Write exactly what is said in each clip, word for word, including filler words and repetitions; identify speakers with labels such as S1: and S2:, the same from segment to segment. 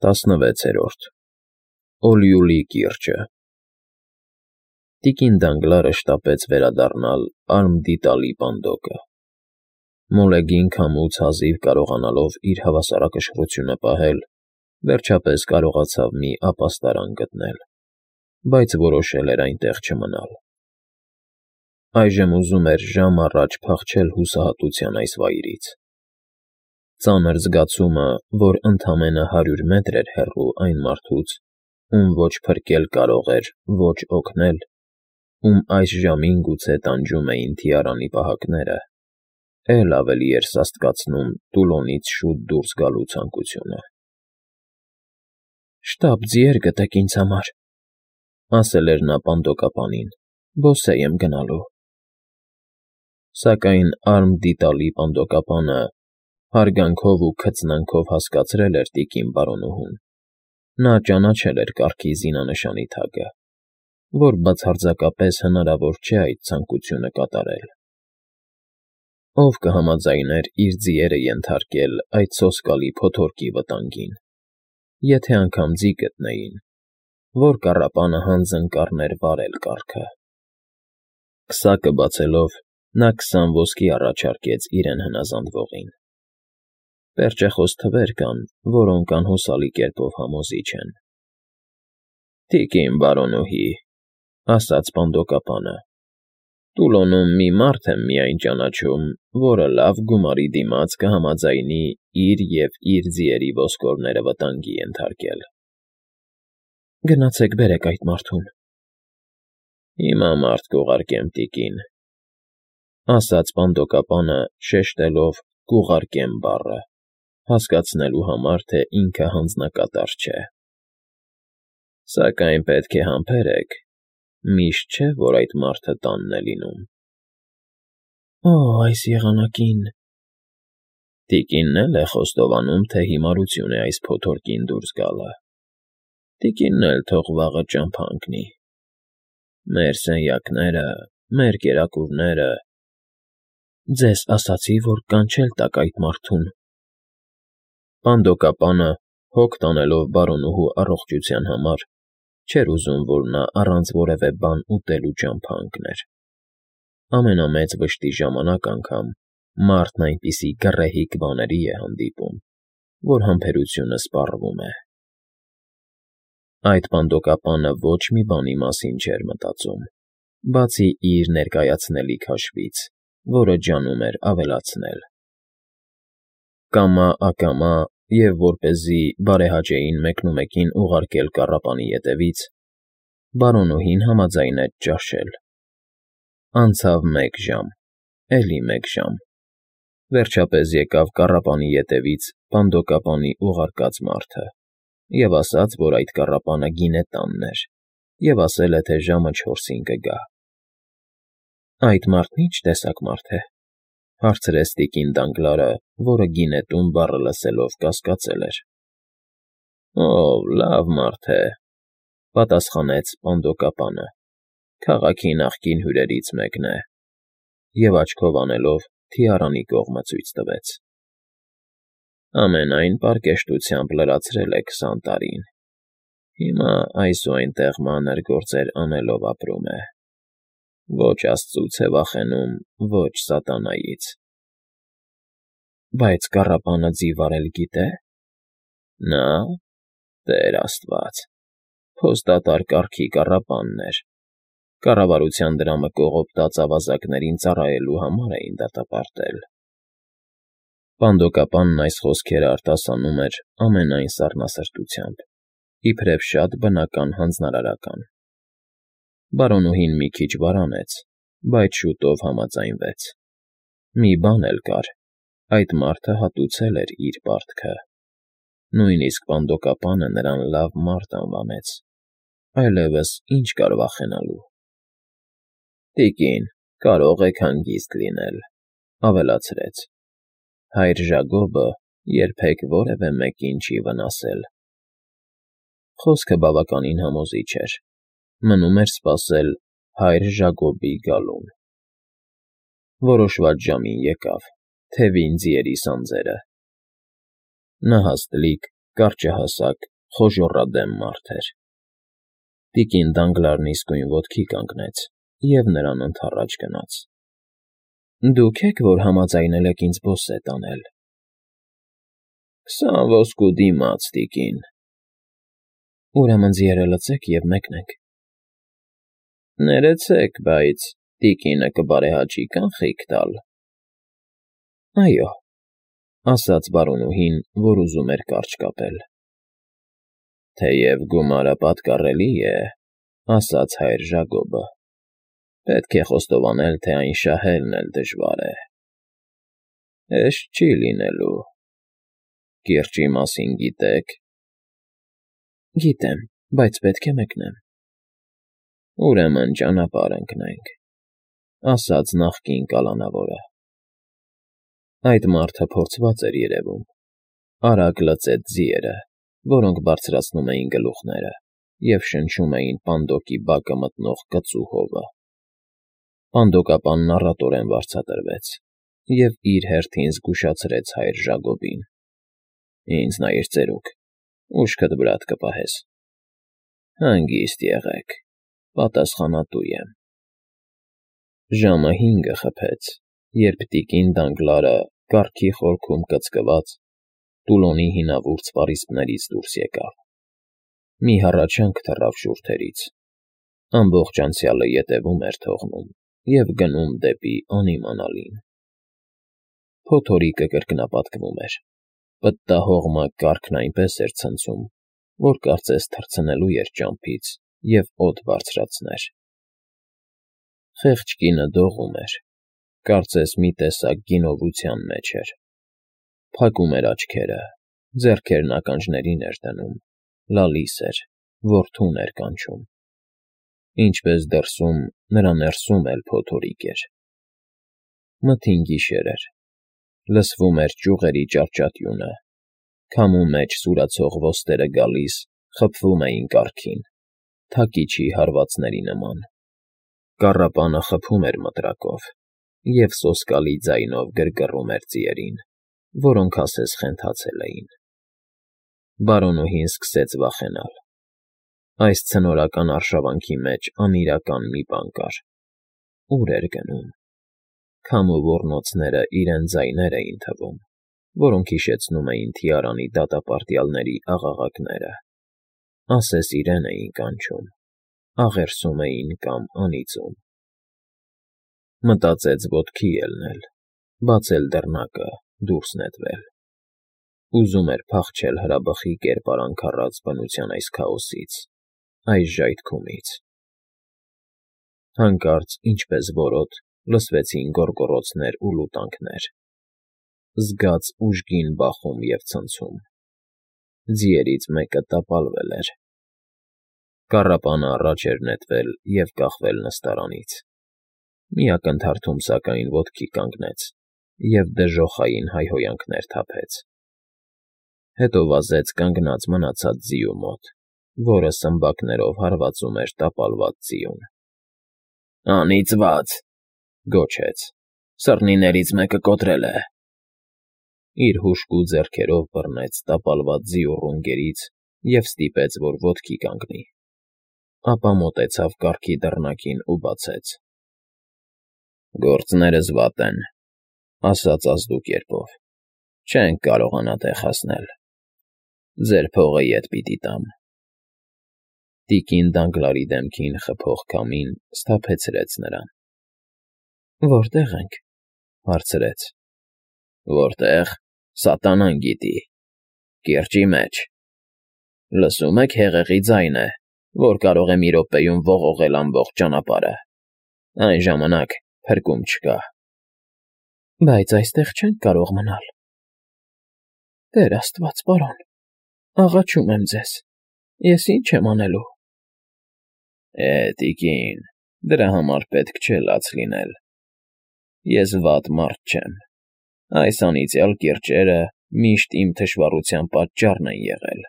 S1: Տասնվեցերորդ Օլյուլի կիրճը Տիկին Դանգլարը շտապեց վերադառնալ Արմդիտալի պանդոկը։ Մոլեգին քամուց հազիվ կարողանալով իր հավասարակշռությունը պահել, վերջապես կարողացավ մի ապաստարան գտնել, բայց որոշել էր այնտեղ չմնալ։ Այժմ ուզում էր ժամ առաջ փախչել հուսահատության այս վայրից։ Ծանր զգացումը, որ ընդամենը հարյուր մետր էր հեռու այն մարդուց, ում ոչ փրկել կարող էր, ոչ օգնել, ում այս ժամին գուցե տանջում էին թիարանի պահակները, էլ ավելի էր սաստկացնում Տուլոնից շուտ դուրս գալու ցանկությունը։ «Շտապ ձիեր գտեք ինձ համար,֊ ասել էր նա պանդոկապանին,֊ բոսեյ եմ գնալու»։ Սակայն Արմդիտալի պանդոկապանը հարգանքով ու քծնանքով հասկացրել էր տիկին բարոնուհուն. նա ճանաչել էր կառքի զինանշանի թագը, որ բացարձակապես հնարավոր չէ այդ ցանկությունը կատարել։ Ո՞վ կհամաձայներ իր ձիերը ենթարկել այդ սոսկալի փոթորկի վտանգին, եթե անգամ ձի գտնեին, որ կառապանը հանձն կառներ վարել կառքը։ Քսակը բացելով՝ նա քսան ոսկի առաջարկեց իրեն հնազանդվողին։ Պերճախոս թվեր կան, որոնք անհուսալի կերպով համոզիչ են։ «Տիկին բարոնուհի,֊ ասաց պանդոկապանը,֊ Տուլոնում մի մարդ եմ միայն ճանաչում, որը լավ գումարի դիմաց կհամաձայնի իր և իր ձիերի ոսկորները վտանգի ենթարկել»։ «Գնացեք բերեք այդ մարդուն»։ «Հիմա մարդ կուղարկեմ, տիկին,֊ ասաց պանդոկապանը, շեշտելով «կուղարկեմ» բառը, հասկացնելու համար, թե ինքը հանձնակատար չէ։ «Սակայն պետք է համբերեք, միշտ չէ, որ այդ մարդը տանն է լինում»։ «Օ՜, այս եղանակին…» Տիկինն էլ է խոստովանում, թե հիմարություն է այս փոթորկին դուրս գալը։ Տիկինն էլ թող վաղը ճամփա ընկնի։ Մեր սենյակները, մեր կերակուրները… Ձեզ ասացի, որ կանչել տաք այդ մարդուն։ Պանդոկապանը, հոգ տանելով բարոնուհու առողջության համար, չէր ուզում, որ նա առանց որևէ բան ուտելու ճամփա ընկներ։ Ամենամեծ վշտի ժամանակ անգամ մարդն այնպիսի գռեհիկ բաների է հանդիպում, որ համբերությունը սպառվում է։ Այդ պանդոկապանը ոչ մի բանի մասին չէր մտածում, բացի իր ներկայացնելիք հաշվից, որը ջանում էր ավելացնել։ Կամա֊ակամա և որպեսզի բարեհաճեին մեկնումեկին ուղարկել կառապանի ետևից, բարոնուհին համաձայնեց ճաշել։ Անցավ մեկ ժամ, էլի մեկ ժամ, վերջապես եկավ կառապանի ետևից պանդոկապանի ուղարկած մարդը և ասաց, որ այդ կառապանը գինե տանն էր, և ասել է, թե ժամը չորսին կգա։ «Այդ մարդն ի՞նչ տեսակ մարդ է,֊ հարցրեց տիկին Դանգլարը, որը գինետուն բառը լսելով կասկածել էր։ «Օ, լավ մարդ է,֊ պատասխանեց պանդոկապանը,֊ քաղաքի նախկին հյուրերից մեկն է», և աչքով անելով թիարանի կողմը ցույց տվեց։ «Ամենայն պարկեշտությամբ լրացրել է քսան տարին, հիմա այս ու այնտեղ մանր գործեր անելով ապրում է, ոչ աստծուց է վախենում, ոչ սատանայից»։ «Բայց կառապանը ձի վարել գիտե՞։»։ «Նա՞, Տեր աստված, փոստատար կառքի կառապանն էր, կառավարության դրամը կողոպտած ավազակներին ծառայելու համար էին դատապարտել»։ Պանդոկապանն այս խոսքերը արտասանում էր ամենայն սառնասրտությամբ, իբրև շատ բնական հանձնարարական։ Բարոնուհին մի քիչ վարանեց, բայց շուտով համաձայնվեց։ Մի բան էլ կար. այդ մարդը հատուցել էր իր պարտքը։ Նույնիսկ պանդոկապանը նրան լավ մարդ անվանեց, այլևս ի՞նչ կար վախենալու։ «Տիկին, կարող եք հանգիստ լինել,֊ ավելացրեց,֊ հայր Ժագոբը երբեք որևէ մեկին չի վնասել»։ Խոսքը բավականին համոզիչ էր, մնում էր սպասել հայր Ժագոբի գալուն։ Որոշված ժամին եկավ, թևին ձիերի սանձերը։ Նա հաստլիկ, կարճահասակ խոժոռադեմ մարդ էր։ Տիկին Դանգլարն իսկույն ոտքի կանգնեց և նրան ընդառաջ գնաց։ ֊ Դուք ե՞ք, որ համաձայնել եք ինձ բոսետ անել։ ֊ Քսան ոսկու դիմաց, տիկին։ ֊ Ուրեմն ձիերը լցեք և մեկնենք։ ֊ Ներեցեք, բայց տիկինը կբարեհաճի կանխիկ տալ։ ֊ Այո,֊ ասաց բարոնուհին, որ ուզում էր կարճ կապել։ ֊ Թեև գումարը պատկառելի է,֊ ասաց հայր Ժագոբը,֊ պետք է խոստովանել, թե այն շահելն էլ դժվար է։ ֊ Հեշտ չի լինելու։ Կիրճի մասին գիտե՞ք։ ֊ Գիտեմ, բայց պետք է մեկնեմ։ ֊ Ուրեմն ճանապարհ ընկնենք,֊ ասաց նախկին կալանավորը։ Այդ մարդը փորձված էր երևում, արագ լծեց ձիերը, որոնք բարձրացնում էին գլուխները և շնչում էին պանդոկի բակը մտնող կծու հովը։ Պանդոկապանն առատորեն վարձատրվեց և իր հերթին զգուշացրեց հայր Ժագոբին. ֊ Ինձ նայիր ծերուկ, ուշքդ վրադ կպահես։ ֊ Հանգիստ եղեք, պատասխանատու եմ։ Ժամը հինգը խփեց, երբ տիկին Դանգլարը, կառքի խորքում կծկված, տուլոնի հինավուրց պարիսպներից դուրս եկավ։ Մի հառաչանք թռավ շուրթերից. ամբողջ անցյալը ետևում էր թողնում և գնում դեպի անիմանալին։ Փոթորիկը կրկնապատկվում էր, պտտահողմը կառքն այնպես էր ցնցում, որ կարծես թռցնելու էր ճամփից և օդ բարձրացներ։ Խեղճ կինը դողում էր, կարծես մի տեսակ գինովության մեջ էր, փակում էր աչքերը, ձեռքերն ականջներին էր դնում, լալիս էր, որդուն էր կանչում։ Ինչպես դրսում, նրա ներսում էլ փոթորիկ էր։ Մթին գիշեր էր, լսվում էր ճյուղերի ճարճատյունը, քամու մեջ սուրացող ոստերը գալիս, խփվում էին կառքին, թակիչի հարվածների նման։ Կառապանը խփում էր մտրակով և սոսկալի ձայնով գրգռում էր ձիերին, որոնք ասես խենթացել էին։ Բարոնուհին սկսեց վախենալ։ Այս ցնորական արշավանքի մեջ անիրական մի բան կար։ Ո՞ւր էր գնում։ Քամու ոռնոցները իրեն ձայներ էին թվում, որոնք հիշեցնում էին թիարանի դատապարտյալների աղաղակները, ասես իրեն էին կանչում, աղերսում էին կամ անիծում։ Մտածեց ոտքի ելնել, բացել դռնակը, դուրս նետվել։ Ուզում էր փախչել հրաբխի կերպարանք առած բնության այս քաոսից, այս ժայթքումից։ Հանկարծ, ինչպես որոտ, լսվեցին գոռգոռոցներ ու լուտանքներ, զգաց ուժգին բախում և ցնցում։ Ձիերից մեկը տապալվել էր։ Կառապանը առաջ էր նետվել և կախվել նստարանից։ Մի ակնթարթում, սակայն, ոտքի կանգնեց և դժոխային հայհոյանքներ թափեց։ Հետո վազեց կանգնած մնացած ձիու մոտ, որը սմբակներով հարվածում էր տապալված ձիուն։ ֊ Անիծվա՜ծ,֊ գոչեց,֊ սռնիներից մեկը կոտրել է։ Իր հուժկու ձեռքերով բռնեց տապալված ձիու ռունգերից և ստիպեց, որ ոտքի կանգնի։ Ապա մոտեցավ կառքի դռնակին ու բացեց։ ֊ Գործներս վատ են,֊ ասաց ազդու կերպով,֊ չենք կարողանա տեղ հասնել։ Ձեր փողը ետ պիտի տամ։ Տիկին Դանգլարի դեմքին խփող քամին սթափեցրեց նրան։ ֊ Որտե՞ղ ենք,֊ հարցրեց։ ֊ Որտե՞ղ, սատանան գիտի։ Կիրճի մեջ։ Լսում եք հեղեղի ձայնը, որ կարող է մի րոպեում ողողել ամբողջ ճանապարհը։ Այն ժամանակ փրկում չկա։ ֊ Բայց այստեղ չենք կարող մնալ։ ֊ Տեր աստված, պարոն, աղաչում եմ ձեզ, ես ի՞նչ եմ անելու։ ֊ Է, տիկին, դրա համար պետք չէ լաց լինել։ Ես վատ մարդ չեմ։ Այս անիծյալ կիրճերը միշտ իմ թշվառության պատճառն են եղել։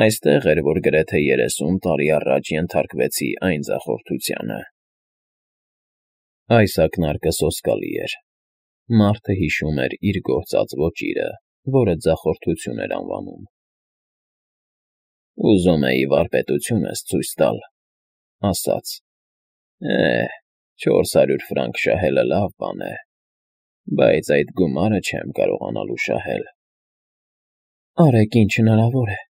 S1: Այստեղ էր, որ գրեթե երեսուն տարի առաջ ենթարկվեցի այն ձախորդությանը։ Այս ակնարկը սոսկալի էր։ Մարդը հիշում էր իր գործած ոճիրը, որը ձախորդություն էր անվանում։ Ուզում էի վարպետությունս ցույց տալ, ասաց. Է, չորս հարյուր ֆրանկ շահելը լավ բան է, բայց այդ գումարը չեմ կարողանալու շահել։ Արեք, ինչ հնարավոր է։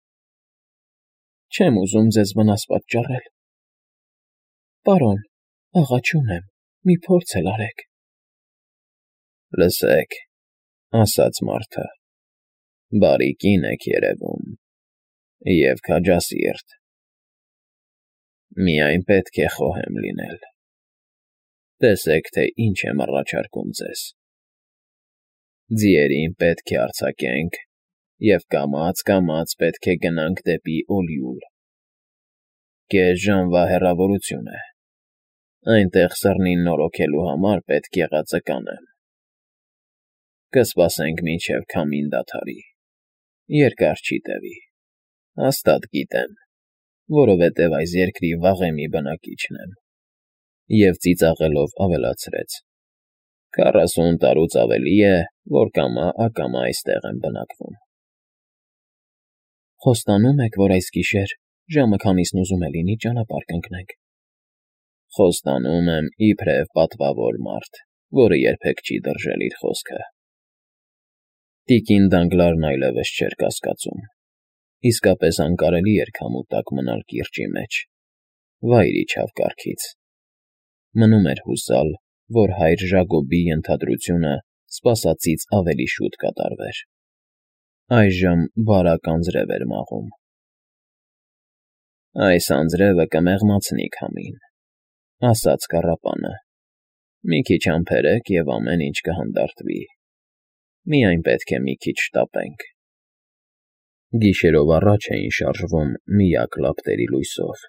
S1: Չեմ ուզում ձեզ վնաս պատճառել։ Պարոն, աղաչում եմ, մի փորձ էլ արեք։ Լսեք, ասաց մարդը, բարի կին եք երևում և քաջասիրտ, միայն պետք է խոհեմ լինել, տեսեք, թե ինչ եմ առաջարկում ձեզ, ձիերին պետք է արձակենք և կամաց-կամաց պետք է գնանք դեպի Օլիուլ, կես ժամվա հեռավորություն է, այնտեղ սռնին նորոգելու համար պետք եղածը կանեմ, կսպասենք մինչև քամին դադարի, երկար չի տևի, հաստատ գիտեմ, որովհետև այս երկրի վաղեմի բնակիչն եմ, և ծիծաղելով ավելացրեց. քառասուն տարուց ավելի է, որ կամա֊ակամա այստեղ եմ բնակվում։ Խոստանում եք, որ այս գիշեր, ժամը քանիսն ուզում է լինի, ճանապարհ կընկնենք։ Խոստանում եմ իբրև պատվավոր մարդ, որը երբեք չի դրժել իր խոսքը։ Տիկին Դանգլարն այլևս չէր կասկածում։ Իսկապես անկարելի էր քամու տակ մնալ կիրճի մեջ, վայր իջավ կառքից։ Մնում էր հուսալ, որ հայր Ժակոբի ենթադրությունը սպասածից ավելի շուտ կատարվեր։ Այժմ բարակ անձրև էր մաղում։ Այս անձրևը կմեղմացնի քամին, ասաց կառապանը։ Մի քիչ համբերեք, և ամեն ինչ կհանդարտվի։ Միայն պետք է մի քիչ շտապենք։ Գիշերով առաջ էին շարժվում միակ լապտերի լույսով,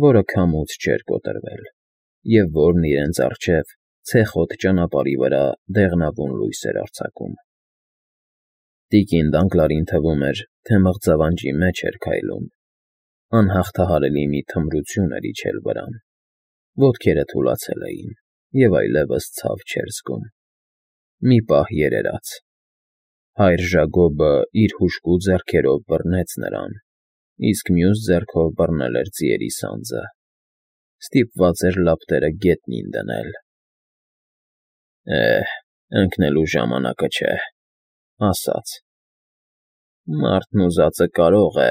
S1: որը քամուց չէր կոտրվել, և որն իրենց առջև ցեխոտ ճանապարհի վրա դեղնավուն լույս էր արձակում։ Տիկին Դանգլարին թվում էր, թե մղձավանջի մեջ էր քայլում, անհաղթահարելի մի թմրություն էր իջել վրան, ոտքերը թուլացել էին, և այլևս ցավ չէր զգում։ Մի պահ երերաց։ Հայր Ժակոբը իր հուժկու ձեռքերով բռնեց նրան, իսկ մյուս ձեռքով բռնել էր ձիերի սանձը։ Ստիպված էր լապտերը գետնին դնել։ Է, ընկնելու ժամանակը չէ, ասաց։ Մարդն ուզածը կարող է,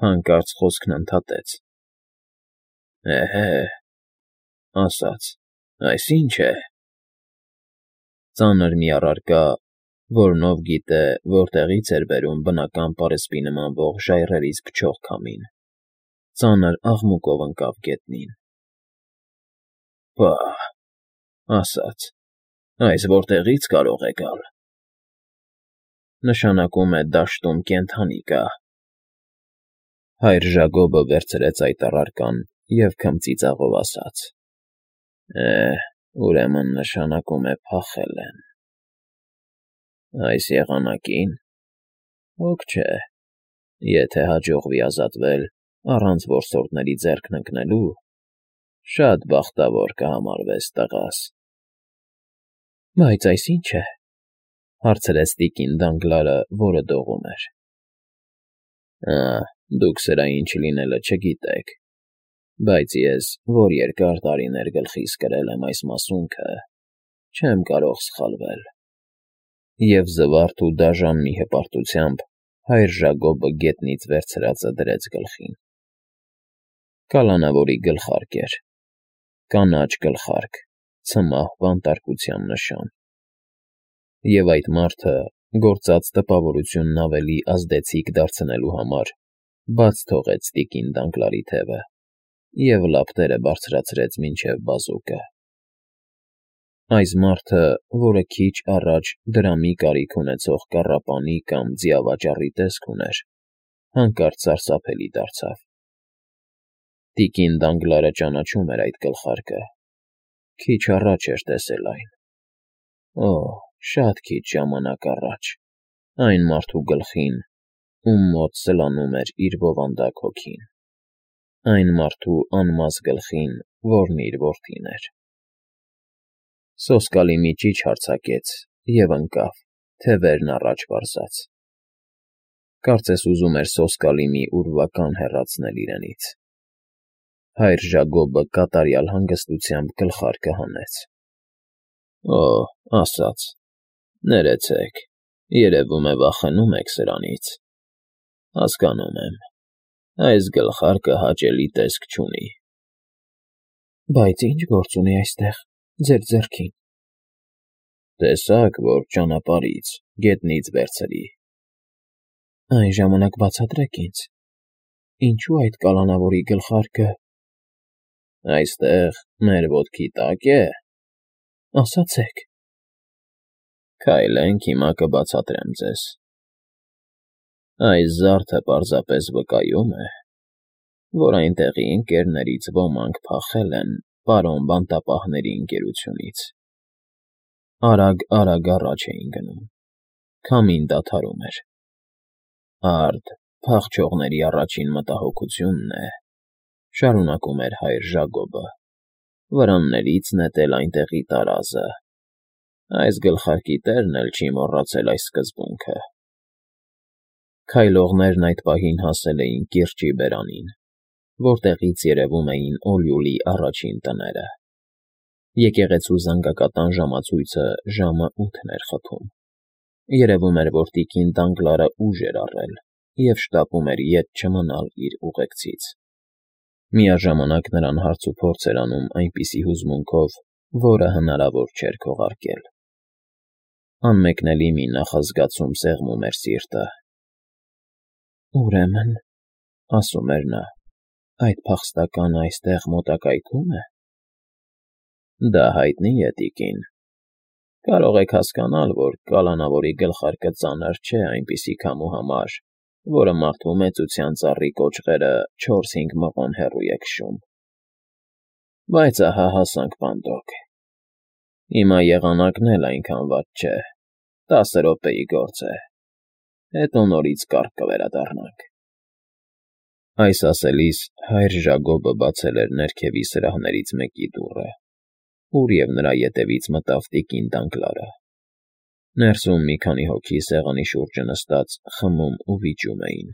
S1: հանկարծ խոսքն ընդհատեց։ Էհե, ասաց, այս ի՞նչ է։ Ծանր մի առարկա, որն ով գիտե որտեղից էր բերում բնական պարսպի նմանվող ժայռերից փչող քամին, ծանր աղմուկով ընկավ գետնին։ Պա՜հ, ասաց, այս որտեղից կարող է գալ։ Նշանակում է դաշտում կենդանի կա։ Հայր Ժակոբը վերցրեց այդ առարկան և քմծիծաղով ասաց. Է, ուրեմն նշանակում է փախել են։ Այս եղանակին։ Հոգ չէ, եթե հաջողվի ազատվել առանց որսորդների ձեռքն ընկնելու, շատ բախտավոր կհամարվես, տղաս։ Բայց այս ի՞նչ է, հարցրեց տիկին Դանգլարը, որը դողում էր։ Ա, դուք սրա ինչ լինելը չգիտեք, բայց ես, որ երկար տարիներ գլխիս կրել եմ այս մասունքը, չեմ կարող սխալվել։ Եվ զվարթ ու դաժան մի հպարտությամբ հայր Ժակոբը գետնից վերցրածը դրեց գլխին։ Կալանավորի գլխարկ էր, կանաչ գլխարկ, ցմահ բանտարկության նշան։ Եվ այդ մարդը, գործած տպավորությունն ավելի ազդեցիկ դարձնելու համար, բաց թողեց տիկին Դանգլարի թևը և լապտերը բարձրացրեց մինչև բազուկը։ Այս մարդը, որը քիչ առաջ դրամի կարիք ունեցող կառապանի կամ ձիավաճառի տեսք ուներ, հանկարծ սարսափելի դարձավ։ Տիկին Դանգլարը ճանաչում էր այդ գլխարկը, քիչ առաջ էր տեսել այն։ Օ, շատ քիչ ժամանակ առաջ, այն մարդու գլխին, ում մոտ սլանում էր իր բովանդակ հոգին։ Այն մարդու անմազ գլխին, որն իր որդին էր։ Սոսկալի մի ճիչ հարձակեց և ընկավ, թևերն առաջ պարզած։ Կարծես ուզում էր սոսկալի մի ուրվական հեռացնել իրենից։ Հայր Ժագոբը կատարյալ հանգստությամբ գլխարկը հանեց։ Օ, ասաց. Ներեցեք, երևում է վախենում եք սրանից։ Հասկանում եմ, այս գլխարկը հաճելի տեսք չունի։ Բայց ի՞նչ գործ ունի այստեղ, ձեր ձեռքին։ Տեսաք, որ ճանապարհից, գետնից վերցրի։ Այն ժամանակ բացատրեք ինձ, ինչու այդ կալանավորի գլխարկը… Այստեղ, մեր ոտքի տակ է… Ասացեք… Քայլենք, հիմա կբացատրեմ ձեզ… Այս զարդը պարզապես վկայում է, որ այնտեղի ընկերներից ոմանք փախել են պարոն բանտապահների ընկերությունից… Արագ֊արագ առաջ էին գնում, քամին դադարում էր… Արդ, փախչողների առաջին մտահոգությունն է, շարունակում էր հայր Ժագոբը, վրաններից նետել այնտեղի տարազը… Այս գլխարկի տերն էլ չի մոռացել այս սկզբունքը… Քայլողներն այդ պահին հասել էին կիրճի բերանին, որտեղից երևում էին Օլյուլի առաջին տները… Եկեղեցու զանգակատան ժամացույցը ժամը ութն էր խփում… Երևում էր, որ տիկին Դանգլարը ուժ էր առել և շտապում էր ետ չմնալ իր ուղեկցից… Միաժամանակ նրան հարցուփորձ էր անում այնպիսի հուզմունքով, որը հնարավոր չէր քողարկել… Անմեկնելի մի նախազգացում սեղմում էր սիրտը… Ուրեմն, ասում էր նա, այդ փախստականը այստեղ մոտակայքում է… Դա հայտնի է, տիկին… Կարող եք հասկանալ, որ կալանավորի գլխարկը ծանր չէ այնպիսի քամու համար, որը մարդու մեծության ծառի կոճղերը չորս֊հինգ մղոն հեռու է քշում… Բայց ահա հասանք Պանդոկ… Հիմա եղանակն էլ այնքան վատ չէ, տասը րոպեի գործ է… Հետո նորից կառք կվերադառնանք… Այս ասելիս հայր Ժագոբը բացել էր ներքևի սրահներից մեկի դուռը, ուր և նրա ետևից մտավ տիկին Դանգլարը… Ներսում մի քանի հոգի սեղանի շուրջը նստած խմում ու վիճում էին…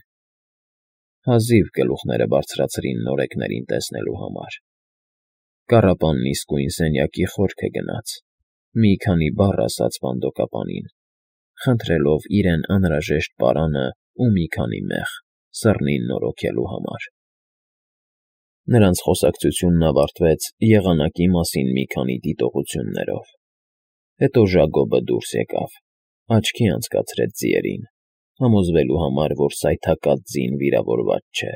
S1: Հազիվ գլուխները բարձրացրին նորեկներին տեսնելու համար… Կառապանն իսկույն սենյակի խորքը գնաց, մի քանի բառ ասաց բանդոկապանին, խնդրելով իրեն անհրաժեշտ պարանը ու մի քանի մեղ, սռնին նորոգելու համար… Նրանց խոսակցությունն ավարտվեց եղանակի մասին մի քանի դիտողություններով… Հետո Ժագոբը դուրս եկավ, աչքի անցկացրեց ձիերին, համոզվելու համար, որ սայթաքած ձին վիրավորված չէ…